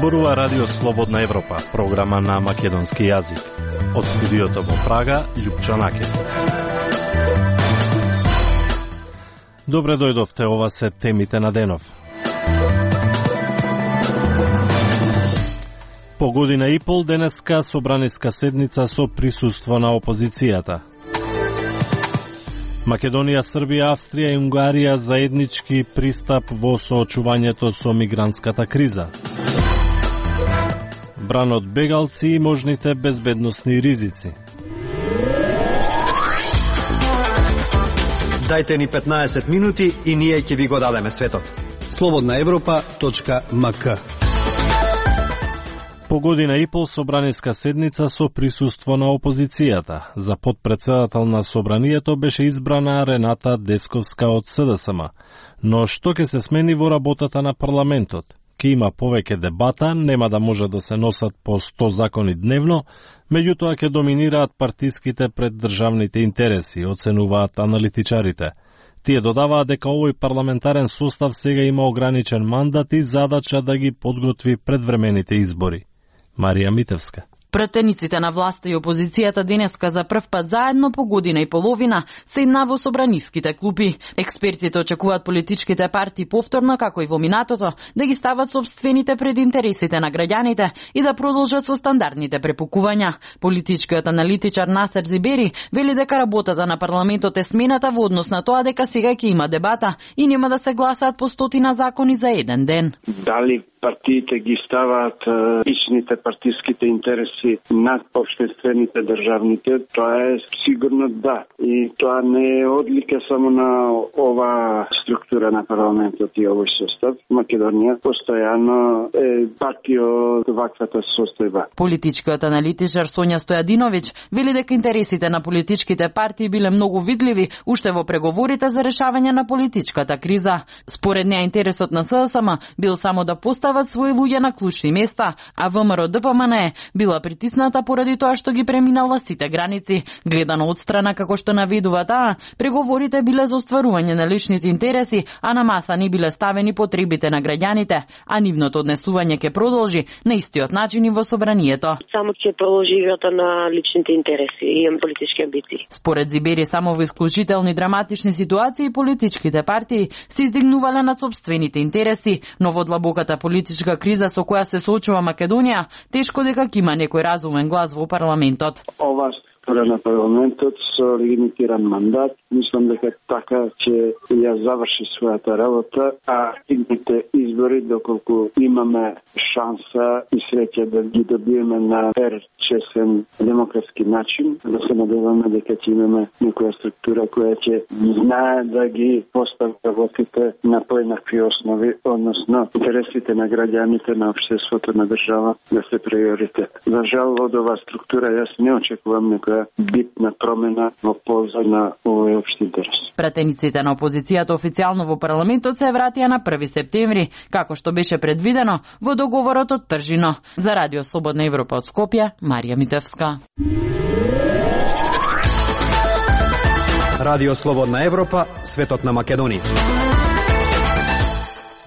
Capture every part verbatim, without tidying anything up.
Зборува Радио Слободна Европа, програма на македонски јазик. Од студиото во Прага, Љупчо Накет. Добре дојдовте, ова се темите на денов. По година и пол денеска собраниска седница со присуство на опозицијата. Македонија, Србија, Австрија и Унгарија заеднички пристап во соочувањето со мигрантската криза. Бран од бегалци и можните безбедносни ризици. Дајте ни петнаесет минути и ние ќе ви го дадеме светот. слободна европа точка ем ка. По година и пол собраниска седница со присуство на опозицијата. За потпредседател на собранието беше избрана Рената Десковска од С Д С М. Но што ќе се смени во работата на парламентот? Ке има повеќе дебата, нема да може да се носат по сто закони дневно, меѓутоа ќе доминираат партиските пред државните интереси, оценуваат аналитичарите. Тие додаваат дека овој парламентарен состав сега има ограничен мандат и задача да ги подготви предвремените избори. Марија Митевска. Пратениците на власта и опозицијата денеска за прв пат заедно по година и половина седна во собраниските клупи. Експертите очекуваат политичките партии повторно, како и во минатото, да ги стават собствените пред интересите на граѓаните и да продолжат со стандардните препукувања. Политичкиот аналитичар Насер Зибери вели дека работата на парламентот е смената во однос на тоа дека сега ќе има дебата и нема да се гласаат по стотина закони за еден ден. Дали партиите ги ставаат личните партиските интереси над општествените државните, тоа е сигурно да. И тоа не е одлика само на ова структура на парламентот и овој состав. Македонија постојано е партија од ваквата состојба. Политичкиот аналитичар Сонја Стојадиновиќ вели дека интересите на политичките партии биле многу видливи уште во преговорите за решавање на политичката криза. Според неа интересот на С Д С М бил само да постават своји луѓе на клучни места, а ВМРО Д П М Н Е била притисната поради тоа што ги преминала сите граници. Гледано од страна како што наведува таа, преговорите биле за остварување на личните интереси, а на маса не биле ставени потребите на граѓаните, а нивното однесување ќе продолжи на истиот начин и во собранието. Само ќе продолжи играта на личните интереси и политички амбиции. Според Зибери, само во исклучителни драматични ситуации политичките партии се издигнувале над собствените интереси, но во длабоката политичка криза со која се соочува Македонија, тешко дека ќе има некој разумен глас во парламентот. Ова структура на парламентот со лимитиран мандат, мислам дека така ќе ја заврши својата работа, а идните избори, доколку имаме шанса и среќа да ги добиеме на фер, честен, демократски начин, да се надеваме дека ќе имаме некоја структура која ќе знае да ги постави работите на поеднакви основи, односно интересите на граѓаните, на општеството, на држава да се приоритет. За жал, од оваа структура јас не очекувам некоја битна промена во полза на овој општи интерес. Пратениците на опозицијата официјално во парламентот се вратија на први септември, како што беше предвидено во договорот од Пржино. За Радио Слободна Европа од Скопје, Марија Митевска. Радио Слободна Европа, светот на Македонија.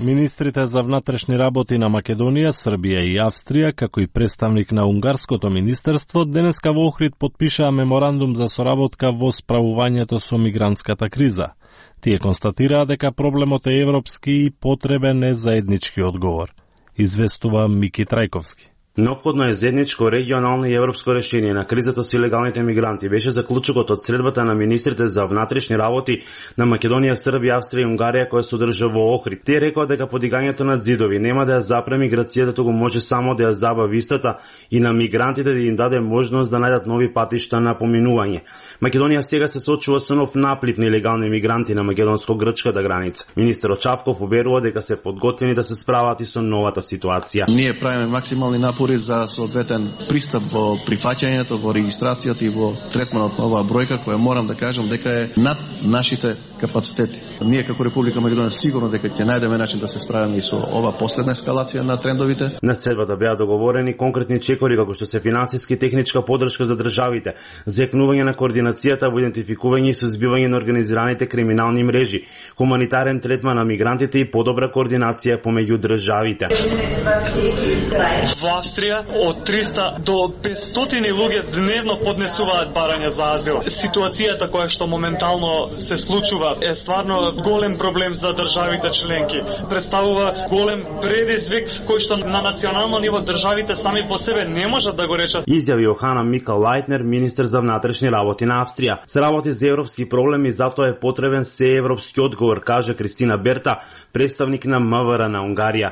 Министрите за внатрешни работи на Македонија, Србија и Австрија, како и представник на Унгарското министерство, денеска во Охрид потпишаа меморандум за соработка во справувањето со мигрантската криза. Тие констатираа дека проблемот е европски и потребен е заеднички одговор. Известува Мики Трајковски. Неопходно е заедничко регионално и европско решение на кризата со илегалните мигранти. Беше заклучокот од средбата на министрите за внатрешни работи на Македонија, Србија, Австрија и Унгарија која се одржа во Охрид. Тие рекоа дека подигањето на ѕидови нема да ја запре миграцијата, туку може само да ја забави истата и на мигрантите да им даде можност да најдат нови патишта на поминување. Македонија сега се соочува со нов наплив на илегални мигранти на македонско-грчката граница. Министерот Чавков уверува дека се подготвени да се справат и со новата ситуација. Ние правиме максимални напори за соодветен пристап во прифаќањето, во регистрацијата и во третманот на оваа бројка, која морам да кажам дека е над нашите капацитети. Ние како Република Македонија сигурно дека ќе најдеме начин да се справиме и со ова последна ескалација на трендовите. На средбата беа договорени конкретни чекори како што се финансиски и техничка подршка за државите, зајакнување на координацијата во идентификување и сузбивање на организираните криминални мрежи, хуманитарен третман на мигрантите и подобра координација помеѓу државите. Во Австрија од триста до петстотини луѓе дневно поднесуваат барања за азил. Ситуацијата која што моментално се случува е стварно голем проблем за државите членки. Представува голем предизвик кој што на национално ниво државите сами по себе не можат да го речат. Изјави Јохана Микал Лајтнер, министер за внатрешни работи на Австрија. Се работи за европски проблеми, затоа е потребен сеевропски одговор, каже Кристина Берта, представник на МВР на Унгарија.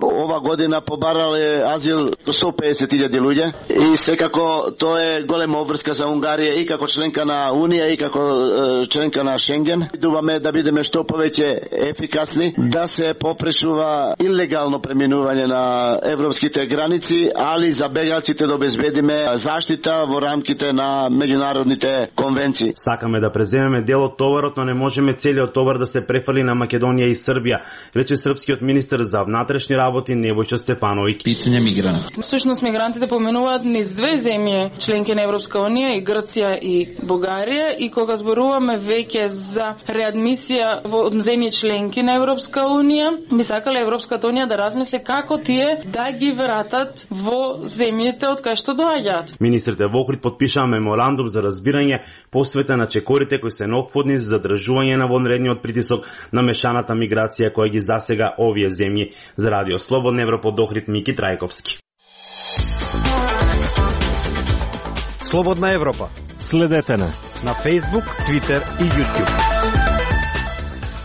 Ова година побарале азил сто песет илјади луѓе и секако тоа е голема обврска за Унгарија и како членка на Унија и како е, членка на Шенген. Идуваме да бидеме што повеќе ефикасни, да се попречува илегално преминување на европските граници, али за бегалците да обезбедиме заштита во рамките на меѓународните конвенции. Сакаме да преземеме дел од товарот, но не можеме целиот товар да се префали на Македонија и Србија, рече српскиот министер за внатрешни работи Небојша Стефановиќ. Питање мигрант. Всушност мигрантите поминуваат низ две земји, членки на Европска унија, и Грција и Бугарија, и кога зборуваме веќе за реадмисија во земји членки на Европска унија, би сакале Европската унија да размисли како тие да ги вратат во земјите од кај што доаѓаат. Министрите во Охрид подпишаа меморандум за разбирање посветен на чекорите кои се неопходни за задржување на вонредниот притисок на мешаната миграција која ги засега овие земји. За Радио Слободна Европа од Охрид, Мики Трајковски. Слободна Европа. Следете на на Facebook, Twitter и YouTube.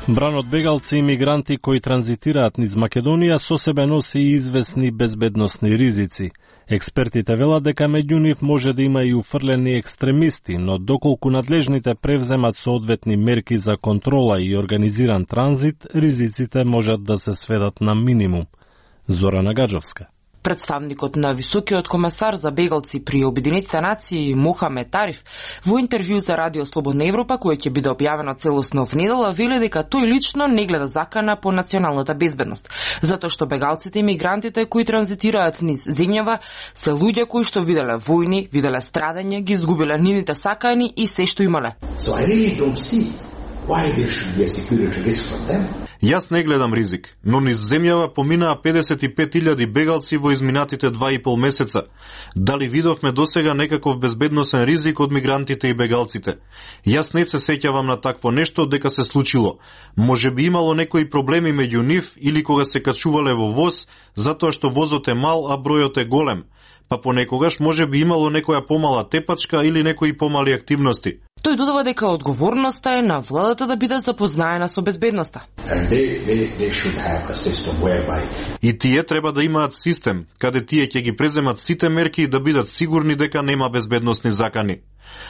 Бран од бегалци и мигранти кои транзитираат низ Македонија со себе носи известни безбедносни ризици. Експертите велат дека меѓу нив може да има и уфрлени екстремисти, но доколку надлежните превземат соодветни мерки за контрола и организиран транзит, ризиците можат да се сведат на минимум. Зорана Гаджовска. Представникот на високиот комесар за бегалци при Обединетите нации Мохамед Тариф во интервју за Радио Слободна Европа, кој ќе биде објавено целосно в недела, вели дека тој лично не гледа закана по националната безбедност, затоа што бегалците и мигрантите кои транзитираат низ земјава се луѓе кои што виделе војни, виделе страдање, ги изгубиле нивните сакани и се што имале. So I really don't see why there should be a security risk for them. Јас не гледам ризик, но низ земјава поминаа педесет и пет илјади бегалци во изминатите два и пол месеца. Дали видовме досега некаков безбедносен ризик од мигрантите и бегалците? Јас не се сеќавам на такво нешто дека се случило. Може би имало некои проблеми меѓу нив или кога се качувале во воз, затоа што возот е мал, а бројот е голем. Па понекогаш може би имало некоја помала тепачка или некои помали активности. Тој додава дека одговорноста е на владата да биде запознаена со безбедноста. They, they, they whereby... И тие треба да имаат систем, каде тие ќе ги преземат сите мерки да бидат сигурни дека нема безбедносни закани.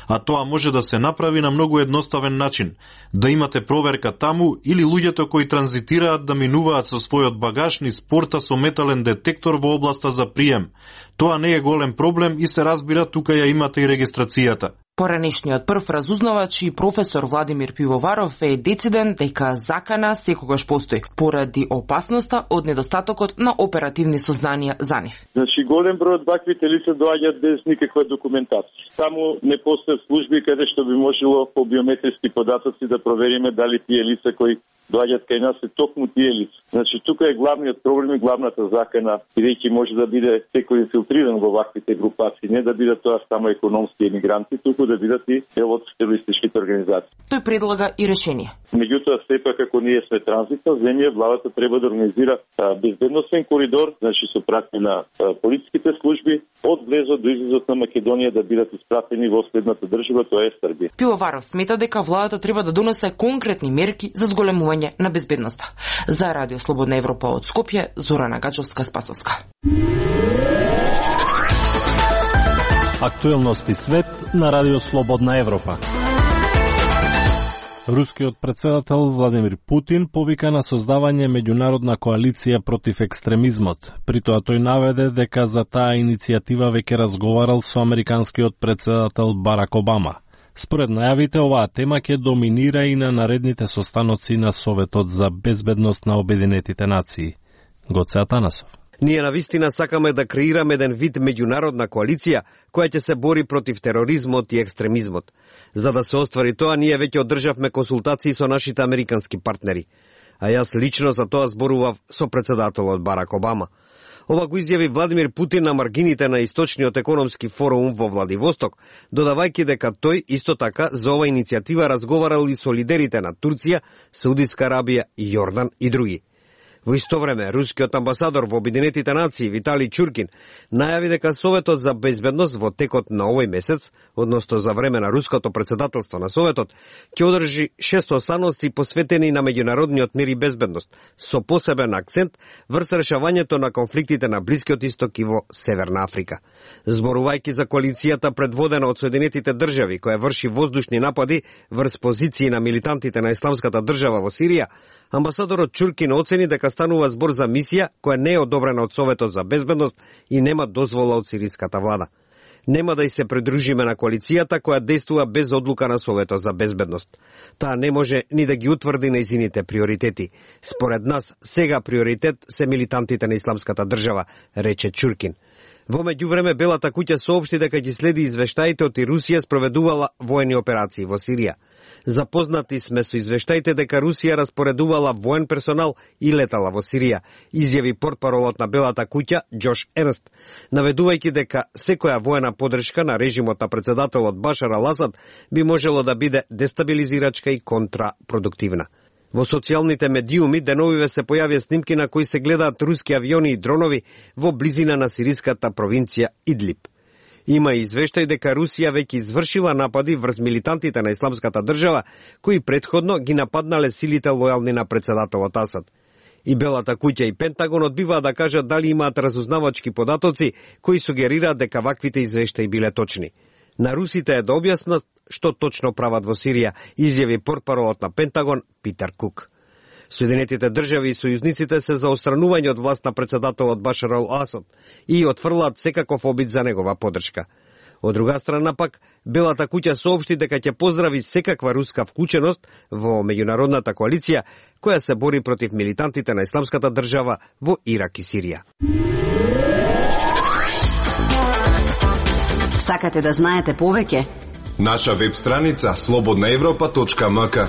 А тоа може да се направи на многу едноставен начин. Да имате проверка таму или луѓето кои транзитираат да минуваат со својот багаж низ порта со метален детектор во областа за прием. Тоа не е голем проблем и се разбира тука ја имате и регистрацијата. Поранешниот прв разузнавач и професор Владимир Пивоваров е дециден дека закана секогаш постои, поради опасноста од недостатокот на оперативни сознанија за нив. Значи, голем број од ваквите лица доаѓаат без никаква документација. Само не постојат служби каде што би можело по биометриски податоци да провериме дали тие лица кои доаѓаат кај нас се токму тие лица. Значи, тука е главниот проблем и главната закана, бидејќи може да биде секој инфилтриран во ваквите групации, не да бидат тоа само економски емигранти, туку да бидат и дел од терористичките организации. Тој предлага и решение. Меѓутоа, сепак, ако ние сме транзитна земја, владата треба да организира а, безбедносен коридор, значи со пратење на а, полициските служби од влезот до излезот на Македонија да бидат испратени во следната држава, тоа е Србија. Пивоваров смета дека владата треба да донесе конкретни мерки за зголемување на безбедноста. За Радио Слободна Европа од Скопје, Зорана Гачовска Спасовска. Актуелности свет на Радио Слободна Европа. Рускиот председател Владимир Путин повика на создавање меѓународна коалиција против екстремизмот. При тоа тој наведе дека за таа иницијатива веќе разговарал со американскиот председател Барак Обама. Според најавите, оваа тема ќе доминира и на наредните состаноци на Советот за безбедност на Обединетите нации. Гоце Атанасов. Ние навистина сакаме да креираме еден вид меѓународна коалиција која ќе се бори против тероризмот и екстремизмот. За да се оствари тоа, ние веќе одржавме консултации со нашите американски партнери. А јас лично за тоа зборував со председателот Барак Обама. Ова го изјави Владимир Путин на маргините на Источниот економски форум во Владивосток, додавајќи дека тој исто така за ова иницијатива разговарал и со лидерите на Турција, Саудиска Арабија, Јордан и други. Во исто време, рускиот амбасадор во Обединетите нации Витали Чуркин најави дека Советот за безбедност во текот на овој месец, односно за време на руското председателство на Советот, ќе одржи шест останоци посветени на меѓународниот мир и безбедност, со посебен акцент врз решавањето на конфликтите на Блискиот исток и во Северна Африка. Зборувајќи за коалицијата предводена од Соединетите држави, која врши воздушни напади врз позиции на милитантите на Исламската држава во Сирија, амбасадорот Чуркин оцени дека станува збор за мисија која не е одобрена од Советот за безбедност и нема дозвола од сириската влада. Нема да и се придружиме на коалицијата која действува без одлука на Советот за безбедност. Таа не може ни да ги утврди нејзините приоритети. Според нас, сега приоритет се милитантите на Исламската држава, рече Чуркин. Во меѓувреме, Белата куќа соопшти дека ќе следи извештаите од и Русија спроведувала воени операции во Сирија. Запознати сме со извештаите дека Русија распоредувала воен персонал и летала во Сирија, изјави портпаролот на Белата куќа Џош Ернст, наведувајќи дека секоја воена подршка на режимот на председателот Башар ал-Асад би можело да биде дестабилизирачка и контрапродуктивна. Во социјалните медиуми деновиве се појавија снимки на кои се гледаат руски авиони и дронови во близина на сириската провинција Идлиб. Има и извештај дека Русија веќе извршила напади врз милитантите на Исламската држава, кои претходно ги нападнале силите лојални на председателот Асад. И Белата куќа и Пентагон одбиваат да кажат дали имаат разузнавачки податоци кои сугерираат дека ваквите извештаи биле точни. На русите е да објаснат што точно прават во Сирија, изјави портпаролот на Пентагон Питер Кук. Соединетите држави и сојузниците се за отстранување од власт на председателот Башар ал-Асад и отфрлаат секаков обид за негова поддршка. Од друга страна пак, Белата куќа соопшти дека ќе поздрави секаква руска вклученост во меѓународната коалиција која се бори против милитантите на Исламската држава во Ирак и Сирија. Сакате да знаете повеќе? Наша веб страница слободна европа точка ем ка.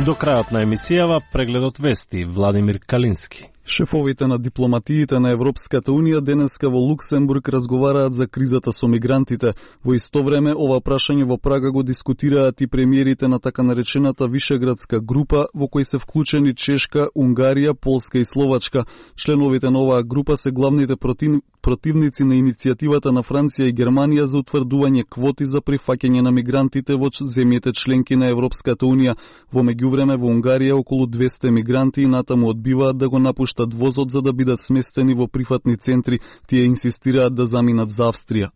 До крајот на емисијава прегледот вести Владимир Калински. Шефовите на дипломатиите на Европската Унија денеска во Луксембург разговараат за кризата со мигрантите. Во исто време, ова прашање во Прага го дискутираат и премиерите на така наречената Вишеградска група, во кој се вклучени Чешка, Унгарија, Полска и Словачка. Членовите на оваа група се главните против... противници на иницијативата на Франција и Германија за утврдување квоти за прифаќање на мигрантите во земјите членки на Европската Унија. Во меѓувреме, во Унгарија околу двесте мигранти и натаму одбиваат да го напуштат возот за да бидат сместени во прифатни центри, тие инсистираат да заминат за Австрија.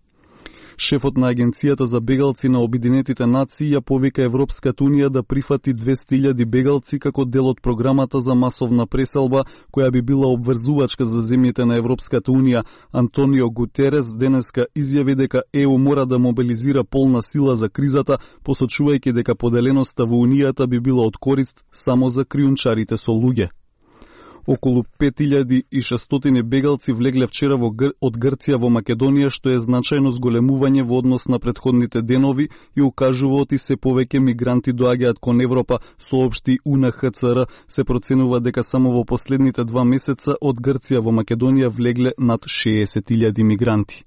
Шефот на Агенцијата за бегалци на Обединетите нации ја повика Европската Унија да прифати двесте илјади бегалци како дел од програмата за масовна преселба, која би била обврзувачка за земјите на Европската Унија. Антонио Гутерес денеска изјави дека Е У мора да мобилизира полна сила за кризата, посочувајќи дека поделеноста во Унијата би била од корист само за криунчарите со луѓе. Околу пет илјади и шестстотини бегалци влегле вчера во Гр... од Грција во Македонија, што е значајно зголемување во однос на претходните денови и укажува оти се повеќе мигранти доаѓаат кон Европа, соопшти У Ен Х Ц Р. Се проценува дека само во последните два месеца од Грција во Македонија влегле над шеесет илјади мигранти.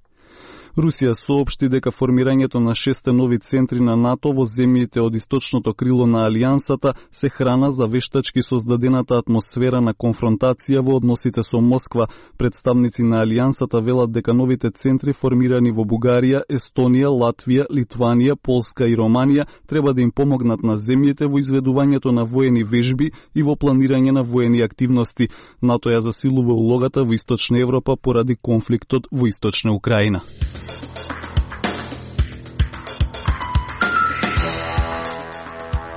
Русија соопшти дека формирањето на шесте нови центри на НАТО во земјите од источното крило на Алијансата се храна за вештачки создадената атмосфера на конфронтација во односите со Москва. Представници на Алијансата велат дека новите центри формирани во Бугарија, Естонија, Латвија, Литванија, Полска и Романија треба да им помогнат на земјите во изведувањето на воени вежби и во планирање на воени активности. НАТО ја засилува улогата во Источна Европа поради конфликтот во Источна Украина.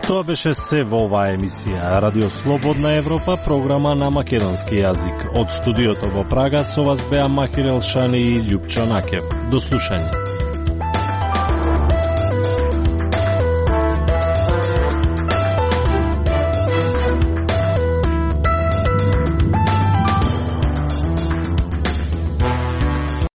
Тоа беше се во оваа емисија. Радио Слободна Европа, програма на македонски јазик. Од студиото во Прага со вас беа Махир Елшани и Љупчо Накев. До слушање.